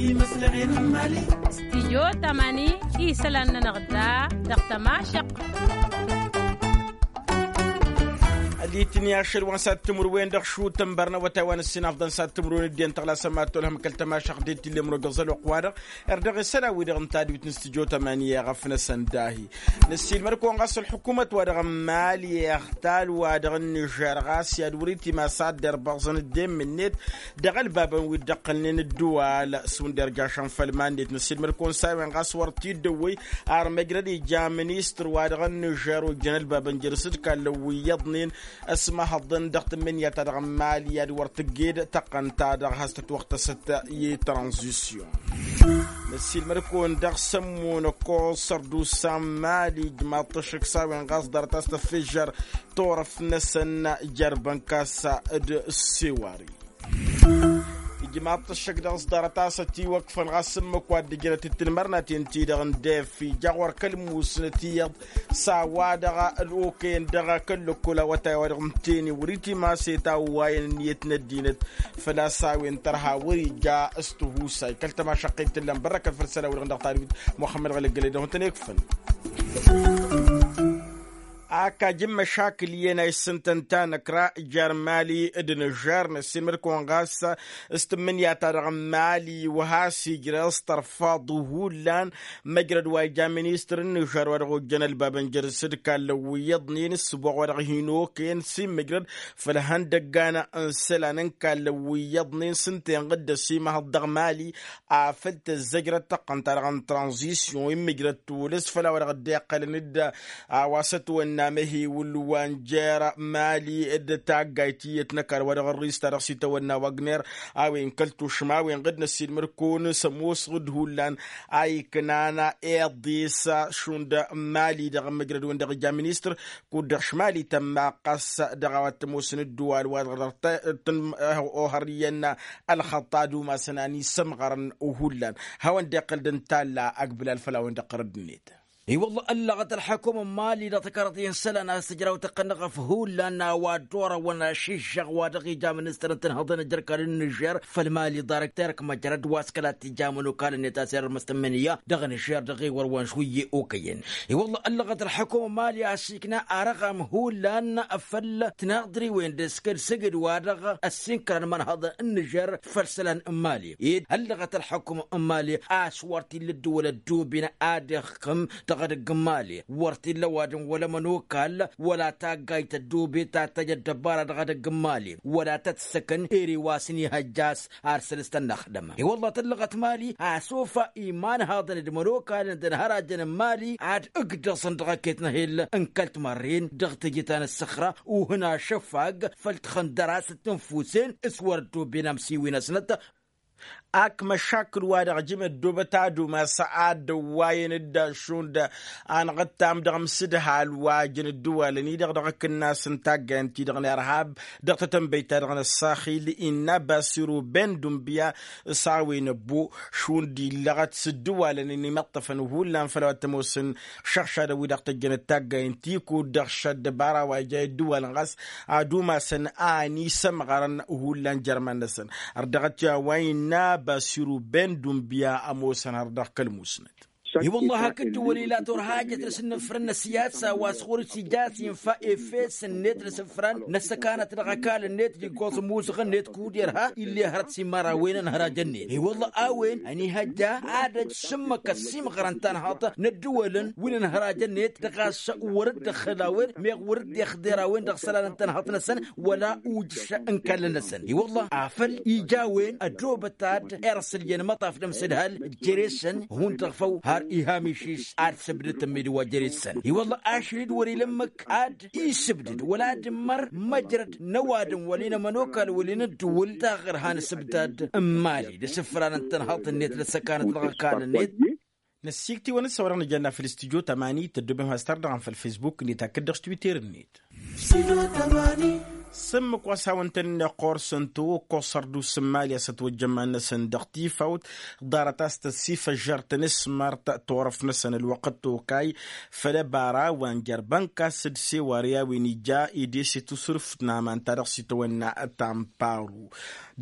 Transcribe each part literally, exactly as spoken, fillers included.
Imăslăɣen n-imali. Stijyo tamani isălan-nănăɣ da dăɣ-tămašăɣt. Ad-itǝnni ašăl wa n-sattǝmrǝwen dăɣ-šutăn bărnăwătay wa n-ǝssin afḍăn sattǝmrǝwen dd-en tăɣlasăn ma t-olhăm kăl-tămašăɣt d-e-t tǝllem rogăẓăl oqq-wa-dăɣ. Erdăɣ isălan-wi-dăɣ n-tadwit n-stijyo tamani i-eɣăf-năsăn dahi. Năssiilmăd-kăwăn ɣas ălḥukumăt-wa-dăɣ n-mali ăɣtal-wa-dăɣ n-nižer ɣas i-ad-wăr-itimas ad-dd-irbăẓăn dd-e-mǝnnet dăɣ-ălbabăn wi dd-ăqqălnen ădduwal s-wǝnda irjašăn făll-iman-net. Năssiilmăd-kăwăn s-a-wen ɣas wăr t-dd-ăwwăy ar măjrăd ija ministăr-wa-dăɣ n-nižer ojjăn ălbabăn jere-s d-kallăn wi iyyăḍnen ăsmăhăḍăn dăɣ-tǝmmǝnǝya-ta-dăɣ n-mali ad-wăr tǝgged tăqqăn-ta-dăɣ has-tătwăɣtăsăt i-tranzisyon. Năssiilmăd-kăwăn dăɣ-sămmun ăkkoẓ sărdusa n-mali ijmaḍ-t ăššăk s-a-wen ɣas ḍarăt a-s tăffižžăr turăft-năsăn jer-bănkas d-sewari. Ijmaḍ-t ăššăk dăɣ-s ḍarăt a-s ătiwăkfăn ɣas ǝmmǝk wa dd-ǝjrăt d-tinmărnaten-ti-dăɣ n-def ija ɣur-kăl-musnăt iyyăḍ s-a-wa-dăɣ ălokăyăn dăɣ-kăl-lăkkol awătay-wa-dăɣ n-teni wăr-iti ma s-e-tawwayăn ǝnniyăt n-ăddinăt. Făl-a-s a-wen tărha wăr-ija s-tihusay kăl-tămašăqqit t-ǝllan bărrăkăn făll-isălan-wi-dăɣ dăɣ-tadwit muxămmăd ɣălăggălăy dăɣ-hutăn ikfăn. Ak ajǝn măšakǝl iyyăn a issǝntăn tanăkra jer-mali d-nǝžžer năssiilmăd-kăwăn ɣas s-tǝmmǝnǝya-ta-dăɣ n-mali wa has-ijreẓ tărfaḍ hullan măjrăd wa ija ministăr n-nǝžžer wa dăɣ-ojjăn ălbabăn jăr-s d-kallăn wi iyyăḍnen ǝssǝboɣ wa dăɣ-hin-okăyăn s-immǝjrăd făll-ihăndăggan n-isălan n-kallăn wi iyyăḍnen s-ǝnta-en dd-ăsimăhăḍ dăɣ-mali afăl tăzzăjrăd tăqqăn-ta-dăɣ n-tranzisyon immǝjrăd tulǝs făll-a-wa dăɣ-dd-e iqqălăn d-a-wa s-ătwănna măhewǝl wa n-jer-mali d-taggayt iyyăt n-ăkall wa dăɣ-ărrista dăɣ-s itawănna wagner a-wen kăl-tušma a-wen ɣǝd năssiilmăd kăwăn s-ămoosăɣ d-hullan a iknan iḍis šund n-mali dăɣ-măjrăd-wen-dăɣ ija ministăr kud-dăɣ šmali tămma ɣas dăɣ-a-wa t-ămoosăn ǝddǝwal wa dăɣ-tăn-ohăr iyyăn ălxăṭṭa d-umasăn a n-isămɣărăn. Hullan hawăn-dd-iqqăl d-ǝntalla ăgbǝlal făll-a-wen-dăɣ ɣărăd-net. I-wălla ăllăɣăt ălḥăkum n-mali dăɣ-tăkarăḍ i-isălan a-s tǝjraw tăqqăn n-eɣăf hullan a-wa dd-orăwăn ašiššăɣ wa dăɣ-ija ministăr n-tinhăḍăn n-jăr kall-nǝžžer făll-mali ḍarăk terk măjrăd wa s-kăla t-ija ămănokal-net a-s irrǝmăs tǝmmǝnǝya dăɣ-nǝžžer dăɣ-e-wăr wa n-šwǝyye okăyăn. I-wălla ăllăɣăt ălḥăkum n-mali a-s ikna arăɣam hullan făll-tinaḍriwen d-eskăl sǝgǝd wa dăɣ-ăssinkărăn imănhăḍăn n-nǝžžer făll-isălan n-mali ed ăllăɣăt ălḥăkum n-mali a-s wăr t-illa ăddǝwăl ăddooben ad-ixkǝm dăɣ-edăgg n-mali wăr t-illa ăwadǝm wăla ămănokal wăla taggayt ăddoobe ta t-tăj ăddăbara dăɣ-edăgg n-mali wăla tăt-săkăn ere wa s-nihăjja a-s ar săl s-tănnăxdăm. I-wălla tăllăɣăt mali a-s ofa imanhaḍăn d-imănokalăn d-inhărajăn n-mali ad-ǝgdăẓăn dăɣ-ăkket n-ehel n-kăl-timărren dăɣ-teje ta n-ǝssăxra uhǝn ašăfag făll-tixăndăr a-s t-ǝnfusen s-wăr ăddooben amsiwin-năsnăt. Ak măšakǝl-wa-dăɣ jǝm ăddoobăt ad-umas ad-dd-ăwwayăn dd-ašund anɣǝttam dăɣ-imsǝdhal wa jăn ǝddǝwalăn-i-dăɣ dăɣ-akǝnnas n-taggayăn-ti-dăɣ n-irhab dăɣ-tetănbăyt-ta-dăɣ n-ăssaxil innă basiru ben dumbǝya. S-a-wen ăbbo šund illăɣăt s-ǝddǝwalăn-in imăṭṭăfăn hullan făll-a-wa t-ămoosăn šăɣšadăn-wi-dăɣ tăjjănăt taggayăn-ti kud-dăɣ šăddăbara wa ija i-ǝddǝwalăn ɣas ad-umasăn a ănisămɣărăn hullan jer-iman-năsăn. Ărdăɣăt i-a-wa innă basiru ben dumbǝya ămoosăn har dăɣ-kăl-musnăt. I-wălla hakd-dd-wăl-ila turhajăt n-asǝnnǝfrăn n-ăssiyasa wa s-ɣur-s ija a-s infa efes-net n-asǝfran n-ăssăkanăt dăɣ-ăkall-net d-iggoẓ ămuzăɣ-net kud-irha ill'-e hărăt s-imărawen ănhărajăn-net i-wălla a-wen ănihăjja ad-ăj s-ǝmmǝk ăssiimɣărăn tanhaḍt n-ăddǝwălăn wi n-ănhărajăn-net dăɣ-a-s wăr dd-ăxxǝl a-wen meɣ wăr dd-ixḍer a-wen dăɣ-isălan n-tanhaḍt-năsăn. Wăla ujǝš n-kallăn-năsăn i-wălla afăl ija a-wen ădoobăt ad-irsǝl i-ănmăṭṭaf d-amsǝdhal jere-săn hundăɣ făw har ihamiš-is ad-sǝbdǝt ămmidǝw wa jere-săn i-wălla ašăl-dd wăr-ila ǝmmǝk ad-isǝbdǝd wăla ad-ǝmmăr măjrăd n-ăwadǝm wăla inămănokal wăla inăddǝwǝl taɣărha n-asǝbdad n-imali d-asǝfran n-tanhaḍt-net d-ăssăkanăt dăɣ-ăkall-net. Năssiiktiwăn-dd s-a-wa dăɣ-nǝjănna făll-studyo tămani tăddobem has-tardăɣăm făll-facebook-net hakd dăɣ-s twitter-net. Studyo tămani. S-ǝmmǝk wa s-hawăn-tăn-inneɣ ɣur-săn tăwăkkoẓ sărduus n-imali a-s ătwăjja iman-năsăn dăɣ-tifawt. Ḍarăt a-s tăssifăžžăr tanǝsmărt turăf-năsăn ălwăqq d-tokay făll-ăbara wa n-jer-bănka s-dd-sewar i-a-wen ija ede s-e-tusǝrǝft n-aman ta dăɣ-s itawănna ta n-paru.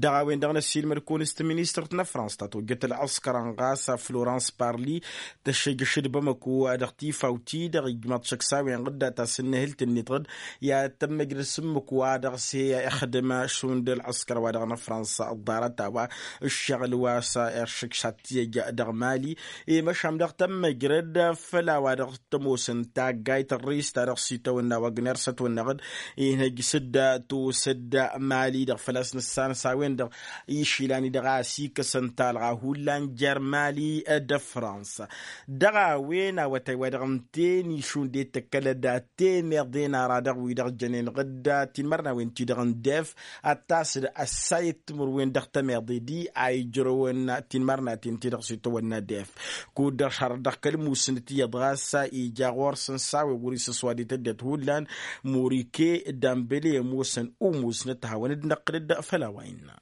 Dăɣ-a-wen-dăɣ n-ăssiilmăd-kăwăn s-taministărt n-afrans ta tojjăt ălɣăskărăn ɣas florans parli tăššejăš d-bamăko dăɣ-tifawt-i-dăɣ ijmaḍ šăkk s-a-wen ɣǝddat a-s ǝnnihǝlt-net ɣǝd i-ad-tămmăjrăd s-ǝmmǝk wa dăɣ-s he-ixdǝm šund ălɣăskăr wa dăɣ-năfrans ăḍḍarăt a-wa ǝššăɣǝl wa s-iršǝkš ad-t-ijăj dăɣ-mali i-măšan dăɣ-tămmăjrăd făll-a-wa dăɣ-tămoosăn taggayt ărris ta dăɣ-s itawănna wagner s-ătwănnăɣ-dd inhăj s-dd-tosăd mali-dăɣ făl-a-s nǝssan s-a-wen-dăɣ išilan-i-dăɣ a ăsikăsăn talɣa hullan jer-mali d-fransa. Dăɣ-a-wen awătay wa dăɣ-ǝnta-en išund i-tǝkkălăd temeḍe n-ara dăɣ-wi-dăɣ jănen ɣǝdda tinmărnawen-ti-dăɣ n-def ad-tasǝd ăssayăt timǝrwen dăɣ-temeḍe di a ijrăwăn tinmărnaten-ti-dăɣ s-itawănna def. Kud-dăɣ šarăt dăɣ-kăl-musnăt iyyăḍ ɣas ija ɣur-săn s-a-wen wăr-isǝswadit ăddinăt hullan murike dambele ămoosăn umusnăt hawăn-dd-năqqǝl-dd făll-a-wa innă.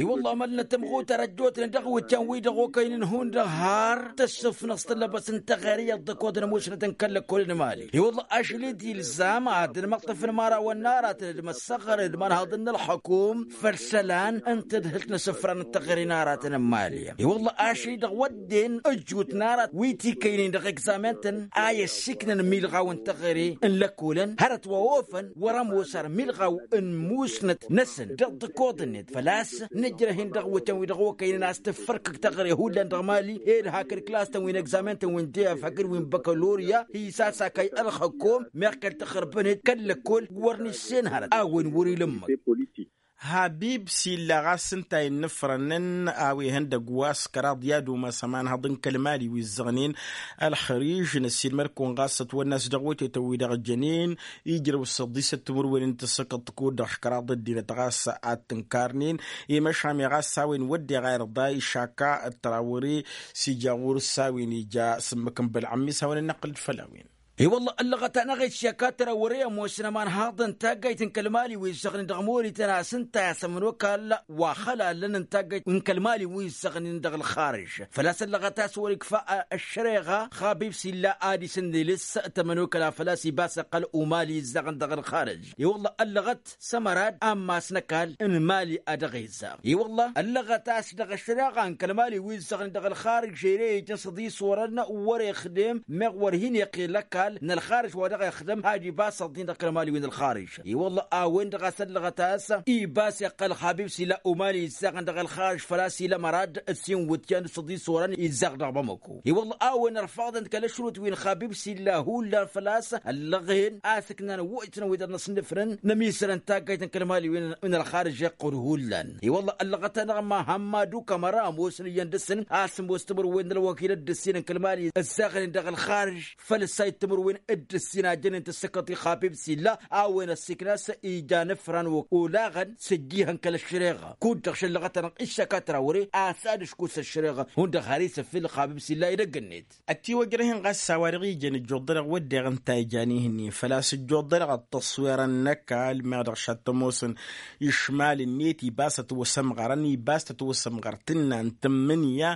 I-wălla amălnăt ămɣutăr ăjjootnen dăɣ-iwǝtyan-wi-dăɣ okăynen hundăɣ har tăssǝfnăẓ tăllăbăs n-teɣăre iyyăḍ d-ăkoḍăn ămoosnăt n-kăl-lăkkolăn mali i-wălla ašăl-i d-ilzam ad-dd-măṭṭăfăn imărawăn n-aratăn d-măssăɣrăn d-imanhăḍăn n-ălxăkum făll-isălan n-tadhǝlt n-asǝfran n-teɣăre n-aratăn n-mali. I-wălla ašăl-i-dăɣ wădden ăjut n-arat wi t-ikăynen dăɣ-egzamen-tăn a i-ăssiiknăn milɣaw n-teɣăre n-lăkkolăn hărăt wa ofăn wăr-ămoos ar milɣaw n-musnăt-năsăn dăɣ-tăkoḍ-net făl-a-s nǝjrăh-in dăɣ-iwǝtăn-wi-dăɣ okăynen a-s tǝffărkăk teɣăre hullan dăɣ-mali ed hakd klas-tăn wi n-egzamen-tăn wi n-def hakd wi n-băkălorya hi-sasakay ălxăkom meɣ kăl-tăxrǝbăn-dd kăl-lăkkol wăr nǝssen hărăt a-wen wăr-ila ǝmmǝk. Habib s-illa ɣas ǝnta a innǝfrănăn a-wa ihăndăgg wa s-kăraḍ i-ad-umas ămanhăḍ n-kăl-mali wi ǝzzăɣnen ălxăriž n-ăssiilmăd-kăwăn ɣas ătwănna a-s dăɣ-wătetăn wi-dăɣ jănen ijrăw s-ăḍḍisăt timǝrwen n-tǝssǝkăḍt kud-dăɣ škăraḍ ăddinăt ɣas ad-t-ǝnkarnen i-măšan i-ɣas a-wen wădden ɣayr ḍa išaka ăttrawăre s-ija ɣur-s a-wen ija s-ǝmmǝk n-bălɣăm mi s-hawăn-ănnăqqǝl-dd făll-a-wen. I-wălla ăllăɣăt-anăɣ iššăk ad-tărăwre ămoosăn ămanhaḍ n-taggayt n-kăl-mali wi ǝzzăɣnen dăɣ-morităn a-s ǝnta i-asămăn okall wa xălalăn n-taggayt n-kăl-mali wi ǝzzăɣnen dăɣ-ălxarǝž făl-a-s ăllăɣăt a-s wăr-ikfa ăššăreɣa xabib s-illa ad-isǝnnǝlǝs tămănokăla făl-a-s ibas iqqăl umali ǝzzăɣăn dăɣ-ălxarǝž. I-wălla ăllăɣăt s-ămărad ammas n-ăkall n-mali a dăɣ-izzaɣ i-wălla ăllăɣăt a-s dăɣ-ăššăreɣa n-kăl-mali wi ǝzzăɣnen dăɣ-ălxarǝž ere ijăn s-ăḍis orăn wăr-ixdem meɣ wăr hin-iqqel ăkall n-ălxarǝž wa dăɣ-ixdăm had-ibas ăḍḍin dăɣ-kăl-mali wi n-ălxarǝž. I-wălla a-wen-dăɣ a-s ăllăɣăt a-s ibas iqqăl xabib s-ila umali izzaɣăn dăɣ-ălxarǝž făl-a-s ila mărad ǝssin wǝtyan s-ăḍis orăn izzaɣ dăɣ-bamăko. I-wălla a-wen ărfaḍăn d-kăl-ašrut wi n-xabib s-illa hullan făl-a-s ăllăɣen a-s ǝknan wăjtăn wi dăr-năsnǝfrăn n-ămisălăn taggayt n-kăl-mali wi n-ălxarǝj iqqud hullan. I-wălla ăllăɣăt-anăɣ ma hămmadu kămăra ămoosăn iyyăn dăr-săn a-s ămoos timǝrwen n-ălwăkil d-ǝssin n-kăl-mali ǝzzaɣnen dăɣ-ălxarǝj făl ǝssayăt timǝrwen d-ǝssin a jănen tǝssǝkăḍ i-xabib s-illa a-wen ăssiikna a-s ija n-ǝfran olaɣăn s-ǝjjihăn kăl-ăššăreɣa kud-dăɣ šăllăɣăt-anăɣ iššăk ad-tărawăre a-s ad-ǝškus ăššăreɣa hundăɣ har isǝffǝl xabib s-illa edăgg-net. Ătiwăjrăh-in ɣas a-wa dăɣ-ijăn ǝjjuḍ-dăɣ wădden ǝnta a ijan ihǝnnin făl-a-s ǝjjuḍ-dăɣ ăṭṭăṣwirăn n-ăkall meɣ dăɣ-šattămosăn išmal-net ibas ătwăsămɣărăn ibas tătwăsămɣăr tǝnna n-tǝmmǝnǝya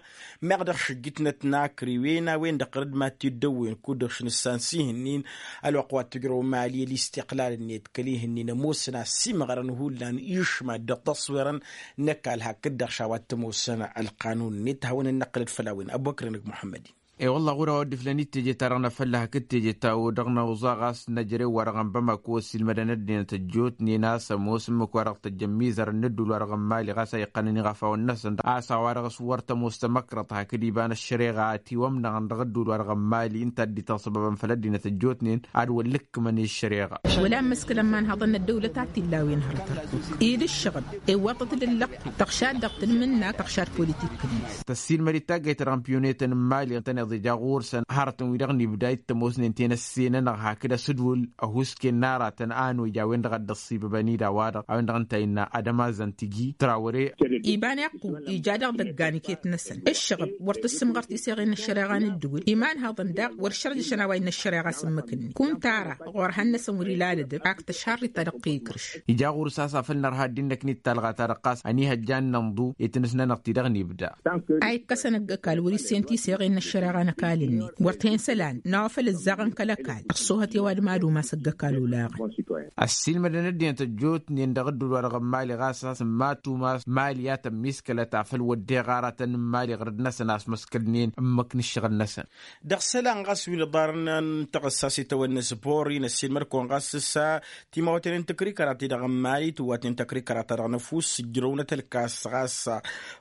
meɣ dăɣ-šǝjjǝtnăt n-akriwen a-wen-dăɣ ɣărăd mad-t-dd-ăwwen kud-dăɣ šăn ǝssan s-ihǝnnin. Ălwăqq wa t-ǝjrăw mali ălistiqlal-net kăl-ihǝnnin ămoosăn a ăsimɣărăn hullan išmal dăɣ-tăṣwirăn n-ăkall hakd-dăɣ šawa t-ămoosăn ălqanun-net hawăn-ănnăqqǝlăd făll-a-wen ăbubăkr-inǝg muḥămmăd-in. E-wălla ɣur-a wa dd-iflăn-dd teje-ta-dăɣ n-afălla hakd teje-ta-o dăɣ-năwẓa ɣas n-ejărew-wa-dăɣ n-bamako ăssiilmădăn ăddinăt ăjjootnen a-s ămoos ǝmmǝk-wa-dăɣ tăjjăn imizărăn n-ădduul-wa-dăɣ n-mali ɣas a iqqănăn iɣăfawăn-năsăn a-s a-wa-dăɣ s-wăr tămoos tamăkrăḍt hakd iba n-ăššăreɣa a tiwămnăɣăn dăɣ-ădduul-wa-dăɣ n-mali ǝnta a dd-itasăbăbăn făll-ăddinăt ăjjootnen ad-wăl-ǝkkǝmăn i-ăššăreɣa. Wăla ămmǝskǝl ămmanhăḍăn n-ăddăwlăt ad-t-illa a-wen hărăt ărkuk ed ǝššăɣǝl iwwăḍăt d-ǝllăqqu tăɣšad dăɣ-tǝlmǝnna tăɣšad politik-net. Tăssiilmăd-dd taggayt-ta-dăɣ n-piyunetăn n-mali ǝntăneḍ. Ija ɣur-săn hărătăn-wi-dăɣ n-ibda ittămosnen tenăsse-nănăɣ hakd asǝdwǝl ăhuusken n-aratăn a ănoj a-wen-dăɣ a dd-ăṣṣibăbăn-dd a-wa-dăɣ a-wen-dăɣ ǝnta innă ad-ămazzăn tǝji trawăre. Iba n-iqqu ija dăɣ-idăggan iket-năsăn ǝššăɣǝb wăr tǝssǝmɣăr tiseɣen n-ăššăreɣa n-ǝddǝwǝl imanhăḍăn daɣ wăr šărjăšăn a-wa innă ăššăreɣa s-ǝmmǝk-net kunta ara ɣur-ehăn-năsăn wăr-ila ad-ădăb ak tăšharrit ta dăɣ-t ikrǝš. Ija ɣur-s a-s a făl nărha ăddinăk n-ittalɣa-ta-dăɣ ɣas ănihăjja ad-nănḍu i-tinǝsnănăɣ-ti-dăɣ n-ibda. A ikkăsăn ăgg-ăkall wăr-issen tiseɣen n-ăššăreɣa n-ăkall-net wăr t-hen isălan n-a-wa făl ǝzzaɣăn kăl-ăkall ăṣṣoohăt i-ăwadǝm ad-umas ăgg-ăkall olaɣăn. Ăssiilmădăn ăddinăt ăjjootnen dăɣ-ǝddǝwǝl wa dăɣ-n mali ɣas a-s n-matumas mali a tămmiskălăt afăl wădden iɣaratăn n-mali ɣǝrǝd-năsăn a-s măskălnen ǝmmǝk n-ǝššăɣǝl-năsăn. Dăɣ-isălan ɣas wi n-iḍarăn n-taɣǝssa s-itawănna s-bori n-ăssiilmăd-kăwăn ɣas s-a timawten n-tăkrikăra-ti-dăɣ n-mali tǝwwatnen tăkrikăra-ta-dăɣ n-ăfuss ǝjrăwnăt ălkas ɣas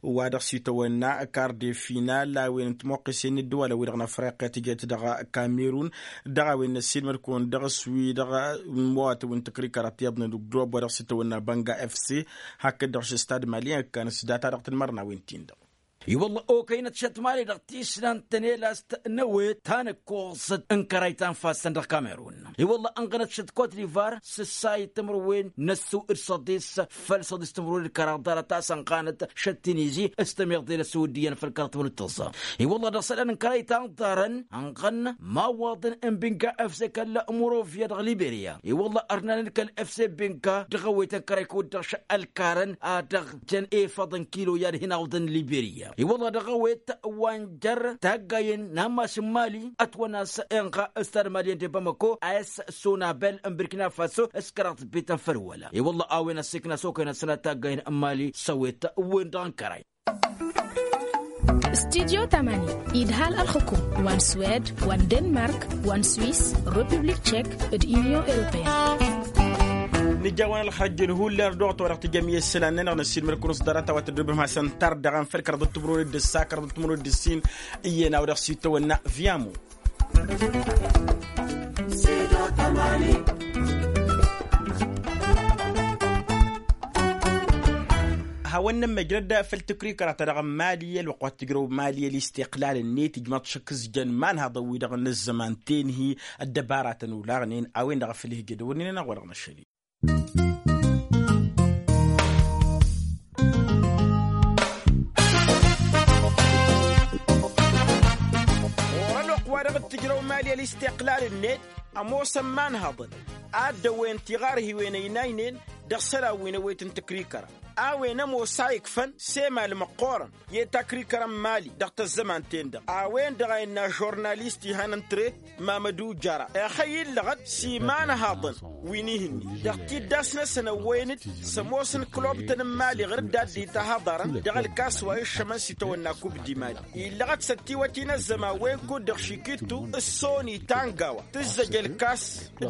wa dăɣ-s itawănna kar de final a-wen n-timăqqisen n-ǝddǝwalăn-wi-dăɣ n-afriqya tǝjăt dăɣ-kamerun. Dăɣ-a-wen n-ăssiilmăd-kăwăn dăɣ-s wi-dăɣ n-imawatăn wi n-tăkrikăra ti iyyăḍnen dăɣ-dd-robba dăɣ-s itawănna bănga fc hakd-dăɣ š-stad mali ăkkan s-data dăɣ-tǝnmărnawen-tin-dăɣ. I-wălla okăynăt šăt mali dăɣ-tisnant tănelast n-ăwet ta n-ǝkkoẓăt n-kărăy ta n-ifassăn dăɣ-kamerun. I-wălla ănɣănăt šăt kot divar s-ǝssayǝd timǝrwen n-ăssu d-săḍis făll-săḍis timǝrwen d-kăraḍ ḍarăt a-s ănɣanăt šăt tinizi s-tămiḍe n-ăssu d-iyyăn făll-kăraḍ timǝrwen d-tăẓẓa. I-wălla dăɣ-isălan n-kărăy ta n-ḍarăn ănɣăn imawaḍăn n-binka fc kăl-murovya dăɣ-liberya. I-wălla ărnanen kăl-fc binka dăɣ-ăwet n-kărăy kud-dăɣ š-ălkarăn a dăɣ-jăn efăḍ n-kilo i-ad-hin-awǝḍăn liberya. I-wălla dăɣ-ăwet wa n-jer-taggayen n-ammas n-mali ătwănna a-s inɣa stad mali n-de bamako a-s sonabel n-birkina faso s-kăraḍ bităn făll-wăla. I-wălla a-wen ăssikna s-okăynăt sănat taggayen n-mali s-ăwet wen-dăɣ n-kărăy. Studyo tamani idhal ălxukum wa n-swed wa n-denmark wa n-swiss, republik tchek d-union europeen. Nǝjawăn ălxăjjăn hullan dăɣ-tijăm i-isălan-nănăɣ n-ăssiilmăd-kăwăn s-ḍarăt a-wa tăddobem hasăn-tărdăɣăn făll-kăraḍăt timǝrwen d-ǝssa kăraḍăt timǝrwen d-ǝssin. Iyyăn a-wa dăɣ-s itawănna viamo. Hawăn-nămmăjrăd făll-tǝkrikăra-ta-dăɣ n-mali ălwăqq wa t-tǝjrăw mali ălistiqlal-net ijmaḍ šăkk s-jăn imanhăḍăn-wi-dăɣ n-ăzzăman tenhi. Ăddăbaratăn olaɣnen a-wen-dăɣ a făl ihjădăwănnen ănɣ wa dăɣ-năšăl. Ɣur-ălwăqq wa dăɣ-t-tǝjrăw mali ălistiqlal-net ămoosăn imanhăḍăn a dd-ăwwăyăn tiɣarhiwen ăynaynen dăɣ-isălan wi n-ăwet n-tǝkrikăra a-wen ămoos a ikfăn s-emal măqqoorăn i-takrikăra n-mali dăɣ-tăzzăman-ten-dăɣ a-wen-dăɣ a innă žurnalist ihăn ǝntre mamădu jara ixăyy illăɣăt s-imanhaḍăn wi n-ihǝnni dăɣ-tiddas-năsăn ăwwăyăn-dd s-ămoosăn klobtăn n-mali ɣǝr-dd a dd-itahăḍărăn dăɣ-ălkas wa iššămăn s-itawănna kub d-imali illăɣăt s-ătiwăt-in ăzzăman wen kud-dăɣ šikittu s-soni tangawa tǝzzăj ălkas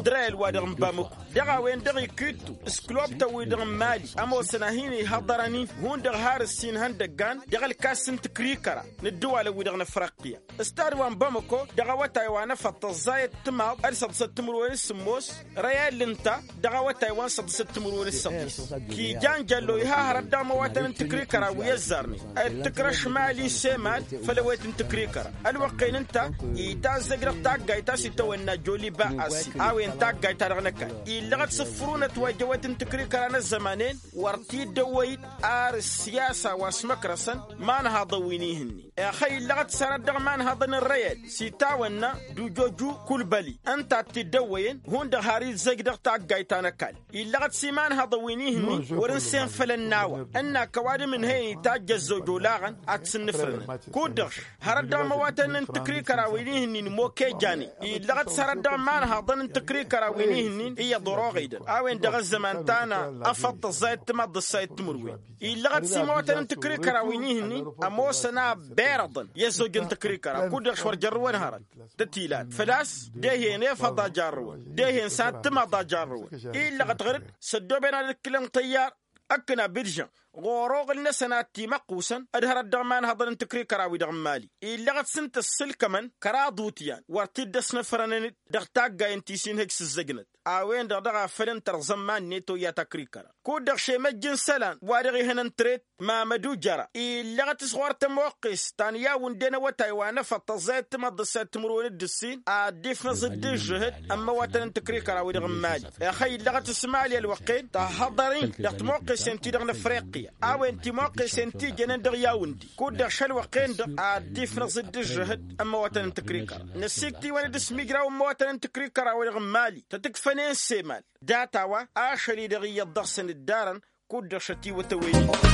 d-rayăl wa dăɣ-n bamăko dăɣ-a-wen-dăɣ ikittu s-klobtăn-wi-dăɣ n-mali ămoosăn a hin-ihăḍărăn-in hundăɣ har ǝssin ihăndăggan dăɣ-ălkas n-tǝkrikăra n-ǝddǝwalăn-wi-dăɣ n-ăfrăqqiya. Ǝstad wa n-bamăko dăɣ-awătay wa n-efăḍ tăẓẓayăt timaḍ d-săḍsăt timǝrwen s-sǝmmos rayal ǝnta dăɣ-awătay wa n-săḍsăt timǝrwen s-săḍis. Kijan jăllo iha hărăt dăɣ-imăwatăn n-tǝkrikăra wi ăzzarnen d-tǝkrăš mali s-emal făll-ewet n-tǝkrikăra ălwăqq-en ǝnta itazzăj dăɣ-taggayt ta s-itawănna joliba assi a-wen taggayt ta dăɣ-năkall illăɣăt s-ǝffǝrunăt wa ija ewet n-tǝkrikăra n-ăzzăman-en wăr t-dd-ăwwăy-dd ar ǝssiyasa wa s-măkrăsăn imanhaḍăn wi n-ihǝnnin. Ixăyy illăɣăt s-hărăt dăɣ-imanhaḍăn n-reyăd s-itawănna d-ujoju kulbăli ǝnta a t-dd-ăwwăyăn hundăɣ har izzăj dăɣ-taggayt ta n-ăkall illăɣăt s-imanhăḍăn wi n-ihǝnnin wăr-ǝnsen făll-ănn a-wa ǝnnak ăwadǝm ǝnhăyăn itajj ăzzoj olaɣăn ad-t-sǝnnǝfrǝnăn kud-dăɣ-š hărăt dăɣ-imăwatăn n-tǝkrikăra wi n-ihǝnnin moke jane illăɣăt s-hărăt dăɣ-imanhăḍăn n-tǝkrikăra wi n-ihǝnnin iyyăḍ oroɣ-i-dăɣ a-wen-dăɣ ăzzăman ta n-afăḍ tăẓẓayăt timaḍ d-ăssayăt timǝrwen. Illăɣăt s-imăwatăn n-tǝkrikăra wi n-ihǝnnin ămoosăn a berăḍăn i-ăzzoj n-tǝkrikăra kud-dăɣ š-wăr jărrǝwăn hărăt tătilat făl-a-s dehen efăḍ a jarrăwăn dehen s-ad-timaḍ a jarrăwăn. Illăɣăt ɣăr-dd s-ăddooben ad-ǝkkǝlăn tăyyar ăkkăn abidžăn ɣur-oɣǝl-năsăn ad-t-imăqqusăn. D-hărăt dăɣ-imanhăḍăn n-tǝkrikărawi-dăɣ n-imali illăɣăt s-ǝnta ăssǝlkămăn kăraḍ utyan wăr t-dd-ăsnăfrănăn-dd dăɣ-taggay ǝnta i-sinhǝj s-ǝzzăjnăt. A-wen-dăɣ dăɣ-a făl ǝnta ărẓăn iman-net oyya takrikăra kud-dăɣ šemăjj n-isălan wa dăɣ-ihănăn tret mamădu jăra illăɣăt s-ɣur-tămoqqes ta n-iyyawǝnden awătay wa n-efăḍ tăẓẓayăt timăḍḍǝsayăt timǝrwen d-ǝssin ad-dd-ifnăẓ dd-ǝžžǝhǝd ămmăwătăn n-tikrikărawi-dăɣ n-imali. Ixăyy illăɣăt s-imali ălwăqqen tahhăḍăr-in dăɣ-timoqqesen-ti-dăɣ n-afriqya a-wen timoqqesen ti jănen dăɣ-iyyawǝndi kud-dăɣ šălwăqqen-dăɣ ad-dd-ifnăẓ dd-ǝžžǝhǝd ămmăwătăn n-tikrikăra. Năsiktǝy-wăn-dd s-imijraw ămmăwătăn n-tikrikărawi-dăɣ n-imali tăt-ǝkfănen s-emal data-wa ašăl-i-dăɣ iyyăḍ dăɣ-săn ǝddarăn kud-dăɣ šătiwăt ăwwăy-i.